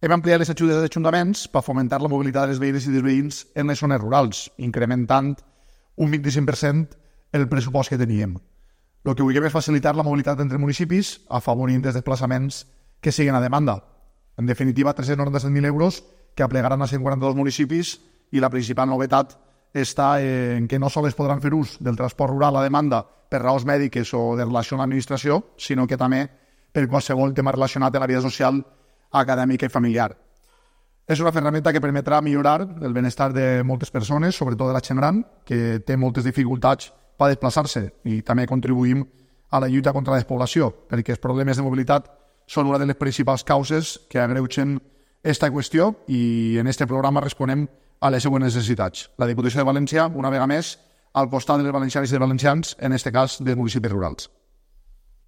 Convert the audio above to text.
Hem ampliat les ajudes dels ajuntaments per fomentar la mobilitat dels veïns i dels veïns en les zones rurals, incrementant un 25% el pressupost que teníem. El que vulguem és facilitar la mobilitat entre municipis, afavorint els desplaçaments que siguin a demanda. En definitiva, 397.000 euros que aplegaran a 142 municipis i la principal novetat està en que no sols podran fer ús del transport rural a demanda per raons mèdiques o de relació amb l'administració, sinó que també per qualsevol tema relacionat amb la vida social, acadèmica i familiar. És una ferramenta que permetrà millorar el benestar de moltes persones, sobretot de la gent gran, que té moltes dificultats per desplaçar-se, i també contribuïm a la lluita contra la despoblació, perquè els problemes de mobilitat són una de les principals causes que agreugen aquesta qüestió i en aquest programa responem a les següents necessitats. La Diputació de València, una vegada més, al costat dels valencians i dels valencians, en aquest cas dels municipis rurals.